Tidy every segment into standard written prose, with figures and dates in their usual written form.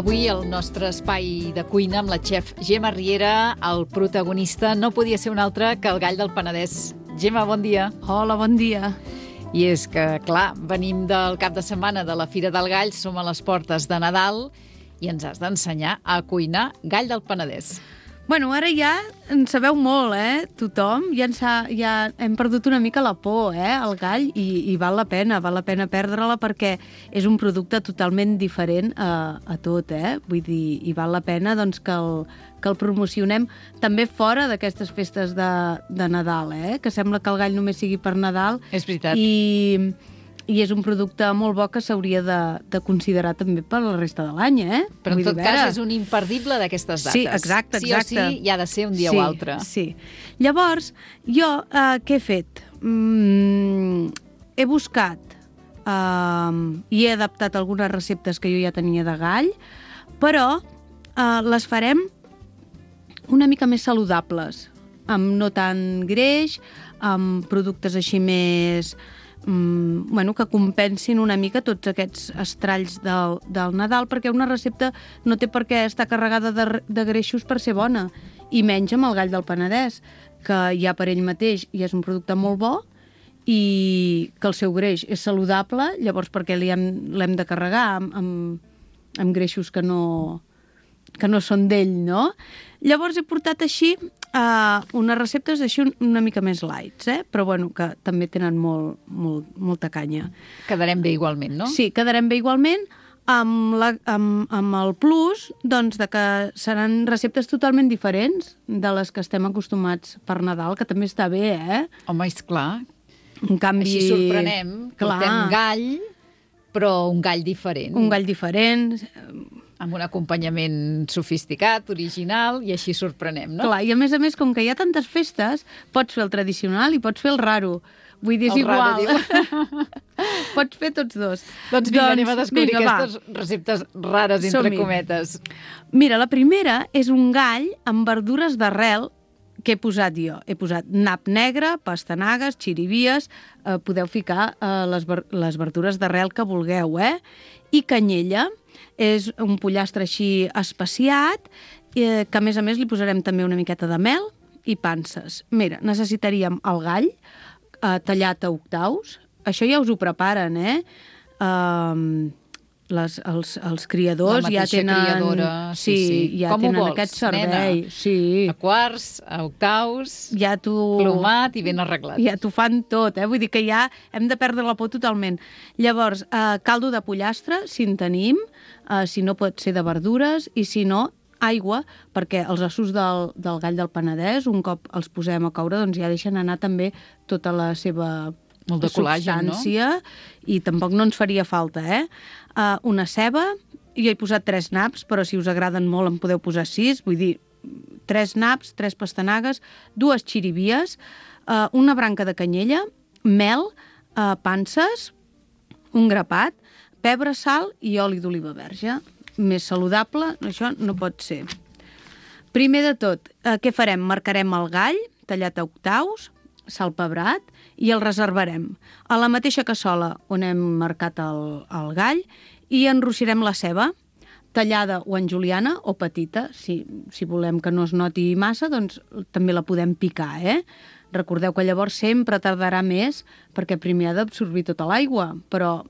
Avui el nostre espai de cuina amb la xef Gemma Riera, el protagonista no podia ser un altre que el gall del Penedès. Gemma, bon dia. Hola, bon dia. I és que, clar, venim del cap de setmana de la Fira del Gall, som a les portes de Nadal i ens has d'ensenyar a cuinar gall del Penedès. Bueno, ara ja en sabeu molt, tothom. Ja hem perdut una mica la por, al gall, i val la pena perdre-la perquè és un producte totalment diferent a tot, Vull dir, i val la pena doncs, que el promocionem també fora d'aquestes festes de Nadal, que sembla que el gall només sigui per Nadal. És veritat. I és un producte molt bo que s'hauria de considerar també per la resta de l'any, Però en tot cas és un imperdible d'aquestes dates. Sí, exacte. Sí o sí, hi ha de ser un dia o altre. Sí. Llavors, jo què he fet? He buscat i he adaptat algunes receptes que jo ja tenia de gall, però les farem una mica més saludables, amb no tant greix, amb productes així més que compensin una mica tots aquests estralls del Nadal, perquè una recepta no té per què estar carregada de greixos per ser bona, i menys amb el gall del Penedès, que ja per ell mateix ja és un producte molt bo i que el seu greix és saludable, llavors perquè l'hem de carregar amb greixos que no són d'ell, no? Llavors he portat així unes receptes així una mica més lights, però bueno, que també tenen molta canya. Quedarem bé igualment, no? Sí, quedarem bé igualment, amb el plus doncs, de que seran receptes totalment diferents de les que estem acostumats per Nadal, que també està bé, Home, és clar. En canvi, així sorprenem, portem gall, però un gall diferent. Un gall diferent, amb un acompanyament sofisticat, original, i així sorprenem, no? Clar, i a més, com que hi ha tantes festes, pots fer el tradicional i pots fer el raro. Vull dir, és igual. Pots fer tots dos. Doncs vinga, anem a descobrir aquestes receptes rares, entre cometes. Mira, la primera és un gall amb verdures d'arrel que he posat jo. He posat nap negre, pastanagues, xirivies, podeu ficar les verdures d'arrel que vulgueu, i canyella. És un pollastre així especiat, que a més li posarem també una miqueta de mel i panses. Mira, necessitaríem el gall tallat a octaus. Això ja us ho preparen, els criadors ja tenen... La mateixa criadora, sí. Ja com tenen ho vols, aquest servei. Nena? Sí. A quarts, a octaus, plomat i ben arreglat. Ja t'ho fan tot, Vull dir que ja hem de perdre la por totalment. Llavors, caldo de pollastre, si en tenim, si no pot ser de verdures, i si no, aigua, perquè els ossos del gall del Penedès, un cop els posem a coure, doncs ja deixen anar també tota la seva substància, i tampoc no ens faria falta, una ceba, jo he posat 3 naps, però si us agraden molt en podeu posar 6, vull dir, 3 naps, 3 pastanagues, 2 xirivies, una branca de canyella, mel, panses, un grapat, pebre, sal i oli d'oliva verge. Més saludable, això no pot ser. Primer de tot, què farem? Marcarem el gall, tallat a octaus, salpebrat, i el reservarem a la mateixa cassola on hem marcat el gall, i enrossirem la ceba, tallada o en juliana o petita. Si volem que no es noti massa, doncs també la podem picar, Recordeu que llavors sempre tardarà més perquè primer ha d'absorbir tota l'aigua, però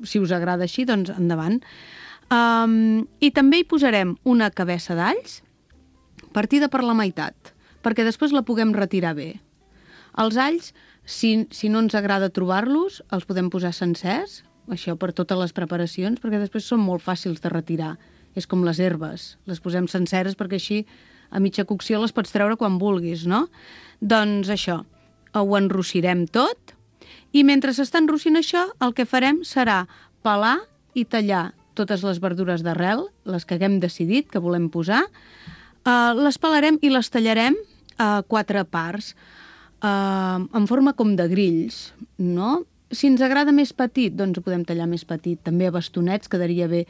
si us agrada així, doncs endavant. I també hi posarem una cabeça d'alls partida per la meitat, perquè després la puguem retirar bé. Els alls, si no ens agrada trobar-los, els podem posar sencers, això per totes les preparacions, perquè després són molt fàcils de retirar. És com les herbes, les posem senceres perquè així a mitja cocció les pots treure quan vulguis, no? Doncs això, ho enrossirem tot, i mentre s'està enrossint això, el que farem serà pelar i tallar totes les verdures d'arrel, les que haguem decidit que volem posar, les pelarem i les tallarem a 4 parts, en forma com de grills, no? Si ens agrada més petit, doncs ho podem tallar més petit, també a bastonets quedaria bé.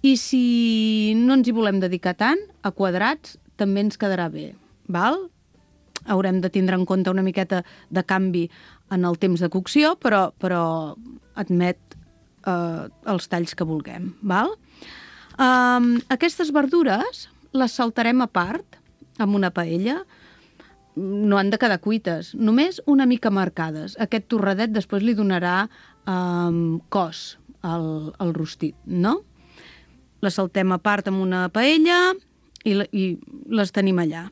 I si no ens hi volem dedicar tant, a quadrats també ens quedarà bé, val? Haurem de tindre en compte una miqueta de canvi en el temps de cocció, però admet els talls que vulguem, val? Aquestes verdures les saltarem a part, amb una paella. No han de quedar cuites, només una mica marcades. Aquest torradet després li donarà cos al rostit, no? Les saltem a part amb una paella i les tenim allà.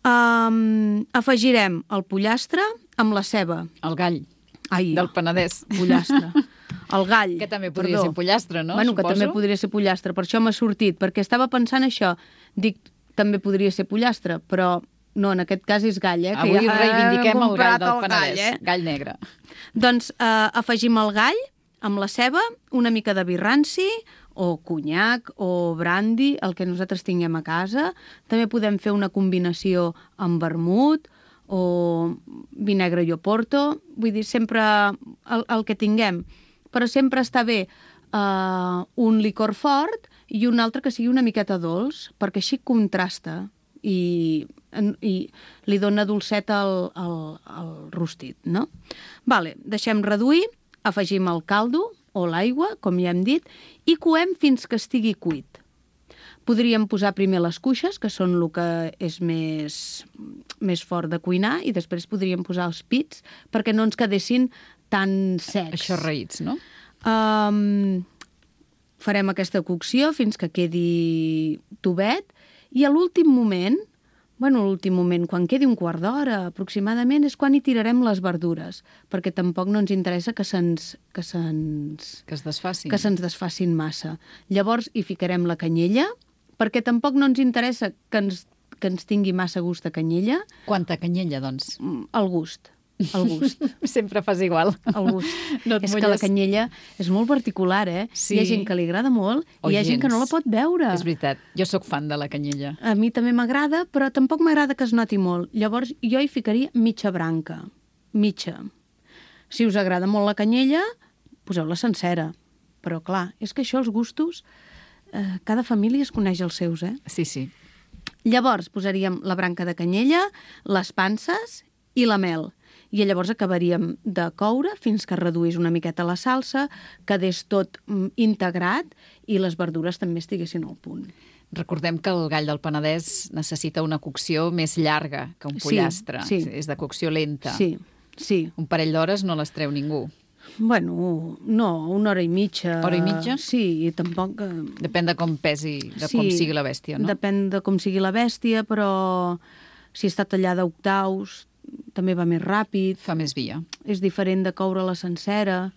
Afegirem el pollastre amb la ceba. El gall del Penedès. Pollastre. El gall. Que també podria ser pollastre, no? Bueno, suposo. que també podria ser pollastre, per això m'ha sortit, perquè estava pensant això. Dic, també podria ser pollastre, però no, en aquest cas és gall, que Avui ja reivindiquem el gall del Penedès, Penedès, gall negre. Doncs afegim el gall amb la ceba, una mica de vi ranci, o conyac, o brandy, el que nosaltres tinguem a casa. També podem fer una combinació amb vermut, o vi negre i oporto. Vull dir, sempre el que tinguem. Però sempre està bé un licor fort i un altre que sigui una miqueta dolç, perquè així contrasta i li dona dolcet al rostit, no? Vale, deixem reduir, afegim el caldo o l'aigua, com ja hem dit, i coem fins que estigui cuit. Podríem posar primer les cuixes, que són el que és més fort de cuinar, i després podríem posar els pits perquè no ens quedessin tan secs. Això raïts, no? Farem aquesta cocció fins que quedi tubet i a l'últim moment, quan quedi un quart d'hora aproximadament, és quan hi tirarem les verdures, perquè tampoc no ens interessa que se'ns desfacin. Que se'ns desfacin massa. Llavors hi ficarem la canyella, perquè tampoc no ens interessa que ens tingui massa gust de canyella. Quanta canyella, doncs? El gust. Sempre fas igual. El gust. No és que la canyella és molt particular, Sí. Hi ha gent que li agrada molt i hi ha gent que no la pot veure. És veritat. Jo sóc fan de la canyella. A mi també m'agrada, però tampoc m'agrada que es noti molt. Llavors jo hi ficaria mitja branca. Mitja. Si us agrada molt la canyella, poseu-la sencera. Però clar, és que això, els gustos, cada família es coneix els seus, Sí, sí. Llavors posaríem la branca de canyella, les panses i la mel. I llavors acabaríem de coure fins que reduís una miqueta la salsa, quedés tot integrat i les verdures també estiguessin al punt. Recordem que el gall del Penedès necessita una cocció més llarga que un pollastre. Sí. És de cocció lenta. Sí. Un parell d'hores no les treu ningú. Bueno, no, una hora i mitja. Hora i mitja? Sí, i tampoc... Depèn de com pesi, com sigui la bèstia, no? Depèn de com sigui la bèstia, però si està tallada a octaus també va més ràpid. Fa més via. És diferent de coure-la sencera.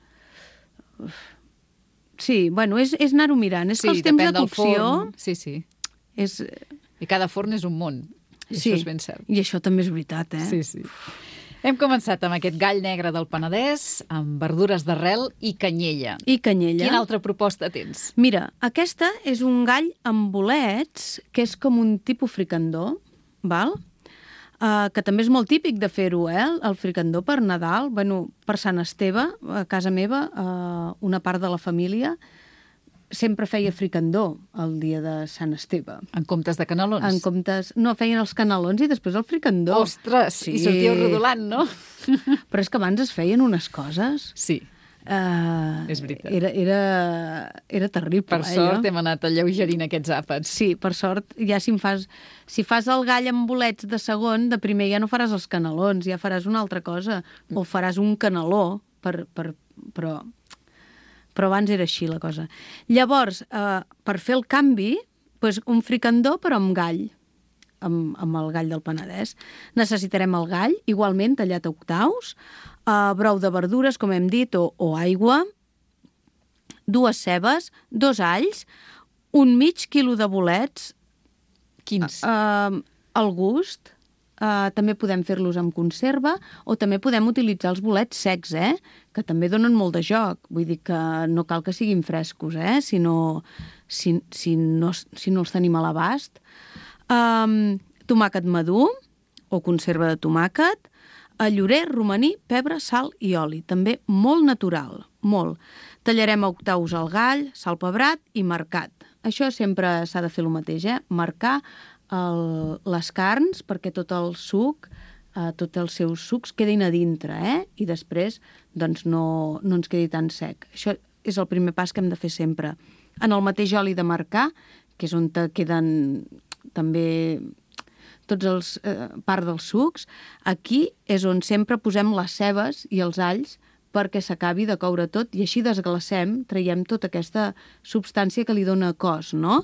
Sí, bueno, és anar-ho mirant. És que els temps de cocció... Sí. És... I cada forn és un món. I això és ben cert. I això també és veritat, Sí. Hem començat amb aquest gall negre del Penedès, amb verdures d'arrel i canyella. Quina altra proposta tens? Mira, aquesta és un gall amb bolets, que és com un tipus fricandó, val? Que també és molt típic de fer-ho, el fricandó per Nadal. Bueno, per Sant Esteve, a casa meva, una part de la família sempre feia fricandó el dia de Sant Esteve. En comptes de canelons? No, feien els canelons i després el fricandó. Ostres, sí. I sortíeu rodolant, no? Però és que abans es feien unes coses... Sí. És veritat. Era terrible. Per sort hem anat alleugerint aquests àpats. Sí, per sort, ja si fas el gall amb bolets de segon, de primer ja no faràs els canelons, ja faràs una altra cosa, o faràs un caneló, però abans era així la cosa. Llavors, per fer el canvi, doncs un fricandó però amb gall, amb el gall del Penedès. Necessitarem el gall, igualment tallat a octaus, brou de verdures, com hem dit, o aigua, 2 cebes, 2 alls, un mig quilo de bolets. Quins? Al gust. També podem fer-los amb conserva o també podem utilitzar els bolets secs, que també donen molt de joc. Vull dir que no cal que siguin frescos, si no els tenim a l'abast. Tomàquet madur o conserva de tomàquet, llorer, romaní, pebre, sal i oli. També molt natural, molt. Tallarem a octaus el gall, sal pebrat i marcat. Això sempre s'ha de fer el mateix, marcar les carns perquè tot el suc, tots els seus sucs quedin a dintre, i després doncs no ens quedi tan sec. Això és el primer pas que hem de fer sempre. en el mateix oli de marcar, que és on te queden també tots els part dels sucs. Aquí és on sempre posem les cebes i els alls perquè s'acabi de coure tot i així desglacem, traiem tota aquesta substància que li dona cos, no?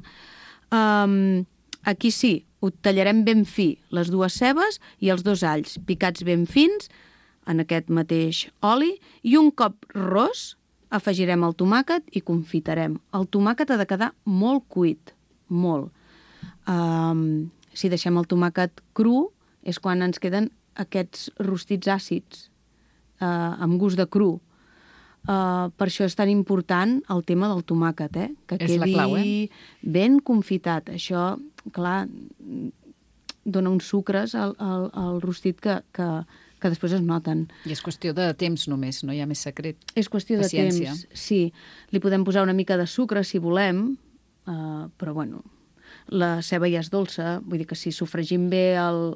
Aquí sí, ho tallarem ben fi, les 2 cebes i els 2 alls, picats ben fins en aquest mateix oli, i un cop ros afegirem el tomàquet i confitarem. El tomàquet ha de quedar molt cuit, molt. Si deixem el tomàquet cru és quan ens queden aquests rostits àcids amb gust de cru. Per això és tan important el tema del tomàquet, que és la clau, ben confitat. Això, clar, dona uns sucres al rostit que després es noten. I és qüestió de temps només, no hi ha més secret. És qüestió Paciència. de temps, sí. Li podem posar una mica de sucre si volem, però bueno, la ceba ja és dolça, vull dir que si sofregim bé el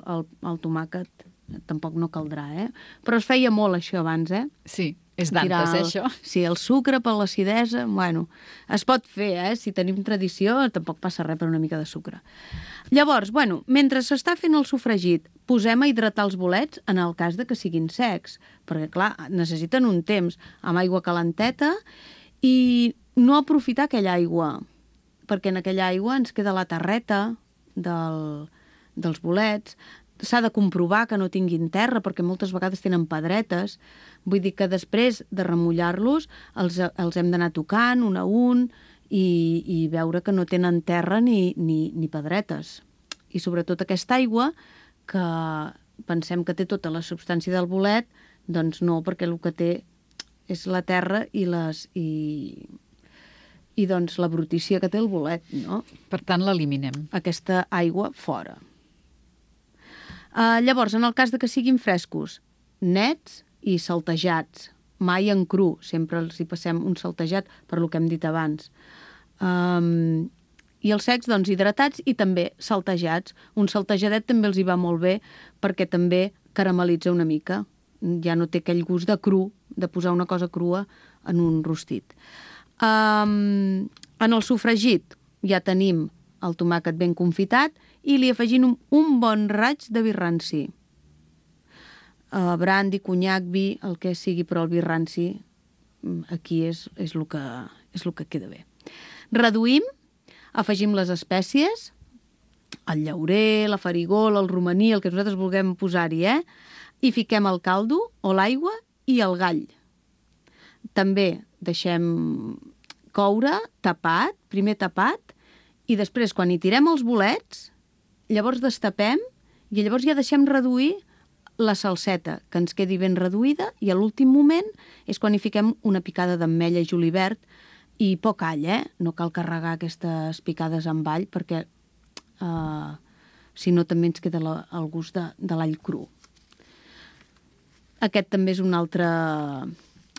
tomàquet tampoc no caldrà, Però es feia molt això abans, Sí, és d'antes, això. Sí, el sucre per l'acidesa, bueno, es pot fer, si tenim tradició tampoc passa res per una mica de sucre. Llavors, bueno, mentre s'està fent el sofregit, posem a hidratar els bolets en el cas de que siguin secs, perquè, clar, necessiten un temps amb aigua calenteta i no aprofitar aquella aigua, perquè en aquella aigua ens queda la terreta dels bolets. S'ha de comprovar que no tinguin terra, perquè moltes vegades tenen pedretes. Vull dir que després de remullar-los els hem d'anar tocant un a un i veure que no tenen terra ni pedretes. I sobretot aquesta aigua, que pensem que té tota la substància del bolet, doncs no, perquè el que té és la terra i doncs la brutícia que té el bolet, no? Per tant, l'eliminem. Aquesta aigua fora. Llavors, en el cas de que siguin frescos, nets i saltejats, mai en cru, sempre els hi passem un saltejat per lo que hem dit abans. I els secs, doncs, hidratats i també saltejats. Un saltejadet també els hi va molt bé perquè també caramelitza una mica. Ja no té aquell gust de cru, de posar una cosa crua en un rostit. En el sofregit ja tenim el tomàquet ben confitat i li afegim un bon raig de vi ranci. Brandi, conyac, vi, el que sigui, però el vi ranci aquí és el que queda bé. Reduïm, afegim les espècies, el llaurer, la farigola, el romaní, el que nosaltres vulguem posar-hi, i fiquem el caldo o l'aigua i el gall. També deixem coure tapat, primer tapat, i després, quan hi tirem els bolets, llavors destapem i llavors ja deixem reduir la salseta, que ens quedi ben reduïda, i a l'últim moment és quan hi fiquem una picada d'ametlla i julivert i poc all, No cal carregar aquestes picades amb all perquè si no també ens queda el gust de l'all cru. Aquest també és una altra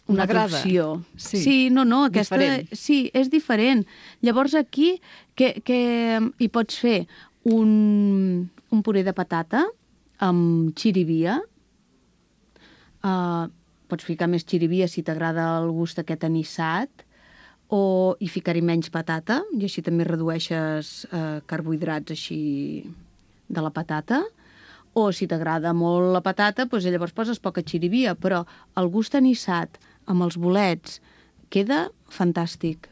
opció. Sí, aquesta diferent. Sí, és diferent. Llavors aquí que hi pots fer un puré de patata amb xirivia. Pots ficar més xirivia si t'agrada el gust aquest anissat, o hi ficar-hi menys patata, i així també redueixes carbohidrats així de la patata. O si t'agrada molt la patata, doncs llavors poses poca xirivia, però el gust anissat amb els bolets queda fantàstic.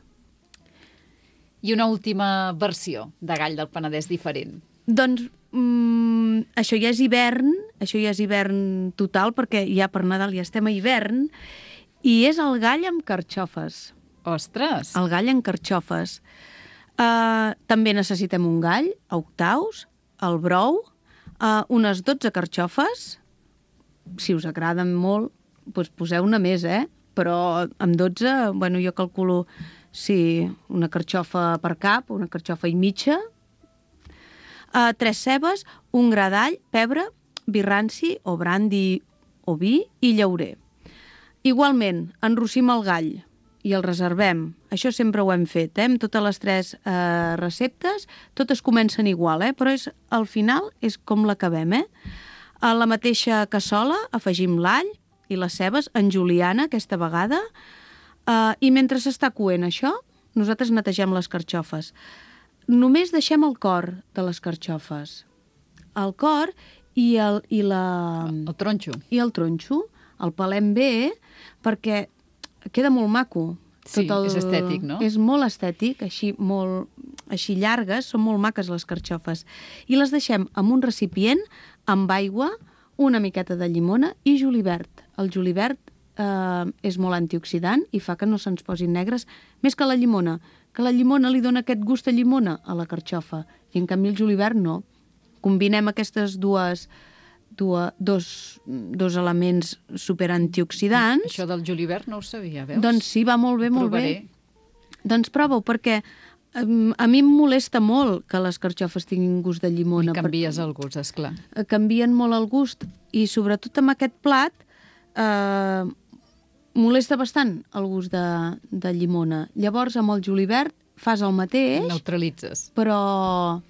I una última versió de gall del Penedès diferent. Doncs això ja és hivern total, perquè ja per Nadal ja estem a hivern, i és el gall amb carxofes. Ostres! El gall amb carxofes. També necessitem un gall, a octaus, el brou, unes 12 carxofes. Si us agraden molt, doncs poseu una més, però amb 12, bueno, jo calculo una carxofa per cap, una carxofa i mitja, 3 cebes, un gra d'all, pebre, vi ranci o brandi o vi i llaurer. Igualment, enrossim el gall i el reservem. Això sempre ho hem fet, amb totes les 3 receptes. Totes comencen igual, però al final és com l'acabem. A la mateixa cassola afegim l'all i les cebes en juliana aquesta vegada, i mentre s'està coent això, nosaltres netegem les carxofes. Només deixem el cor de les carxofes. El cor i el tronxo. I el tronxo. El pelem bé perquè queda molt maco. Sí, és estètic, no? És molt estètic, així llargues, són molt maques les carxofes. I les deixem en un recipient amb aigua, una miqueta de llimona i julivert. El julivert és molt antioxidant i fa que no se'ns posin negres, més que la llimona li dona aquest gust a llimona a la carxofa, i en canvi el julivert no. Combinem aquestes dos elements superantioxidants. Això del julivert no ho sabia, veus? Doncs sí, va molt bé, molt bé. Doncs prova-ho, perquè a mi em molesta molt que les carxofes tinguin gust de llimona. I canvies el gust, esclar. Canvien molt el gust, i sobretot amb aquest plat molesta bastant el gust de llimona. Llavors, amb el julivert fas el mateix. Neutralitzes. Però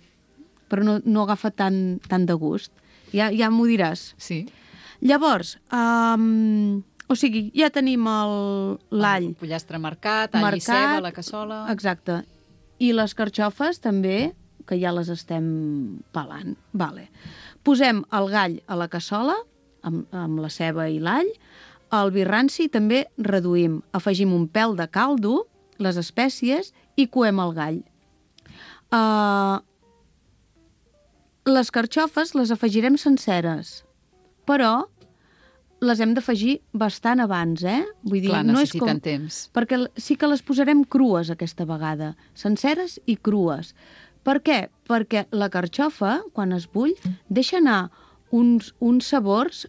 no agafa tant de gust. Ja m'ho diràs. Sí. Llavors, o sigui, ja tenim l'all. El pollastre marcat, all i ceba, la cassola. Exacte. I les carxofes també, que ja les estem pelant. Vale. Posem el gall a la cassola, amb la ceba i l'all. El vi ranci també reduïm. Afegim un pèl de caldo, les espècies, i coem el gall. Les carxofes les afegirem senceres, però les hem d'afegir bastant abans, Vull dir, clar, no és necessiten temps. Perquè sí que les posarem crues aquesta vegada, senceres i crues. Per què? Perquè la carxofa, quan es bull, deixa anar uns sabors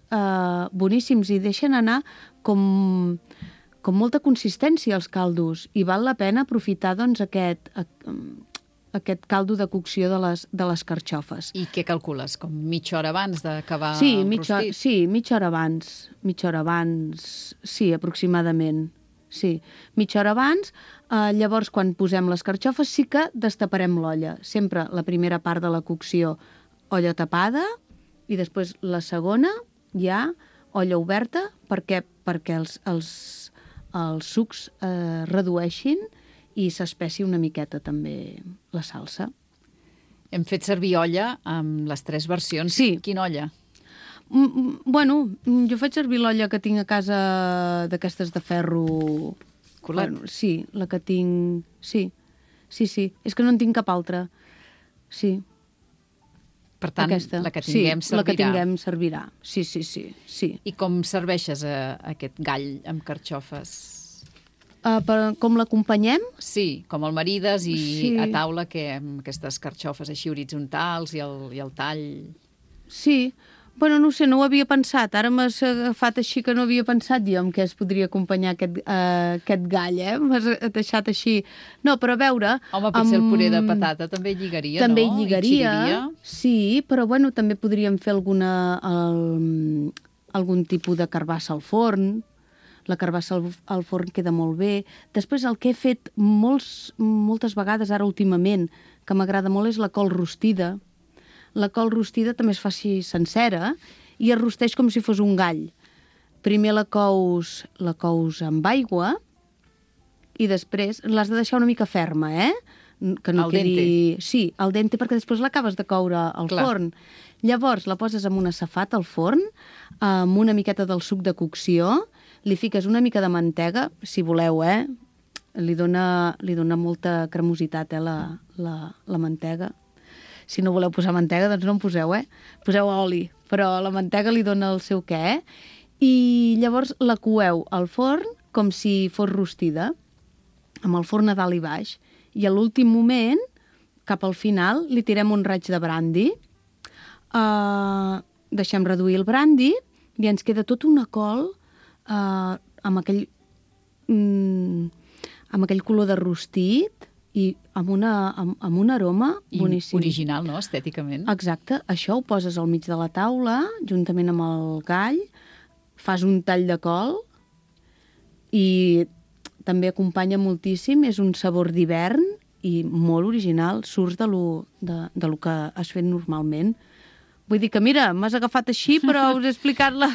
boníssims i deixen anar com molta consistència als caldos, i val la pena aprofitar doncs, aquest caldo de cocció de les carxofes. I què calcules? Com mitja hora abans d'acabar el rostit? Sí, mitja hora abans. Mitja hora abans, sí, aproximadament. Sí, mitja hora abans. Llavors, quan posem les carxofes, sí que destaparem l'olla. Sempre la primera part de la cocció, olla tapada, i després la segona, ja, olla oberta, perquè els sucs redueixin i s'espessi una miqueta també la salsa. Hem fet servir olla amb les 3 versions. Sí. Quina olla? Bueno, jo faig servir l'olla que tinc a casa d'aquestes de ferro... Colat? Bueno, sí, la que tinc... Sí. És que no en tinc cap altra. Sí. Per tant, aquesta. La que tinguem servirà. La que tinguem servirà. Sí. I com serveixes aquest gall amb carxofes? Com l'acompanyem? Sí, com el marides i a taula amb aquestes carxofes així horitzontals i el tall. Sí, bueno, no ho sé, no ho havia pensat. Ara m'has agafat així que no havia pensat jo en què es podria acompanyar aquest gall, M'has deixat així. No, però a veure... Home, potser el puré de patata també lligaria, també no? També lligaria, sí, però bueno, també podríem fer algun tipus de carbassa al forn. La carbassa al forn queda molt bé. Després, el que he fet moltes vegades, ara últimament, que m'agrada molt, és la col rostida. La col rostida també es fa així sencera i es rosteix com si fos un gall. Primer la cous amb aigua i després l'has de deixar una mica ferma, Que no quedi... dente. Sí, al dente, perquè després l'acabes de coure al forn. Llavors la poses en una safata al forn, amb una miqueta del suc de cocció, li fiques una mica de mantega, si voleu, Li dona molta cremositat, la mantega. Si no voleu posar mantega, doncs no en poseu, Poseu oli, però la mantega li dona el seu què, I llavors la coeu al forn com si fos rostida, amb el forn a dalt i baix. I a l'últim moment, cap al final, li tirem un raig de brandi, deixem reduir el brandi i ens queda tota una col amb aquell color de rostit i amb un aroma boníssim. Original, no?, estèticament. Exacte. Això ho poses al mig de la taula, juntament amb el gall, fas un tall de col i també acompanya moltíssim, és un sabor d'hivern i molt original, surts de lo que has fet normalment. Vull dir que, mira, m'has agafat així, però us he explicat la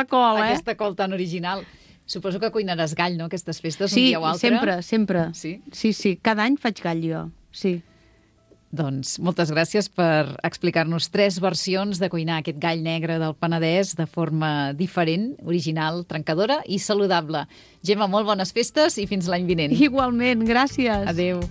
col, aquesta col tan original. Suposo que cuinaràs gall, no?, aquestes festes, un Sí, dia o altre. sempre. Sí? Sí, cada any faig gall jo, sí. Doncs moltes gràcies per explicar-nos 3 versions de cuinar aquest gall negre del Penedès de forma diferent, original, trencadora i saludable. Gemma, molt bones festes i fins l'any vinent. Igualment, gràcies. Adéu.